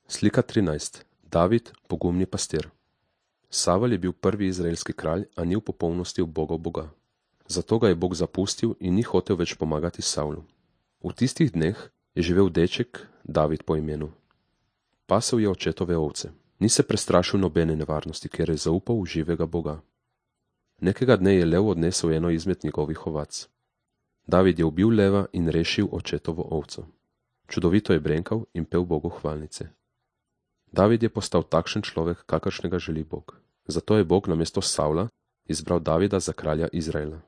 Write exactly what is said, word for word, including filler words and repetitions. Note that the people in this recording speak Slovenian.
Slika trinajst. David, pogumni pastir. Savel je bil prvi izraelski kralj, a ni v popolnosti ubogel Boga. Zato ga je Bog zapustil in ni hotel več pomagati Savlu. V tistih dneh je živel deček, David po imenu. Pasel je očetove ovce. Ni se prestrašil nobene nevarnosti, ker je zaupal v živega Boga. Nekega dne je lev odnesel eno izmed njegovih ovac. David je ubil leva in rešil očetovo ovco. Čudovito je brenkal in pel Bogu hvalnice. David je postal takšen človek, kakršnega želi Bog. Zato je Bog namesto Savla izbral Davida za kralja Izraela.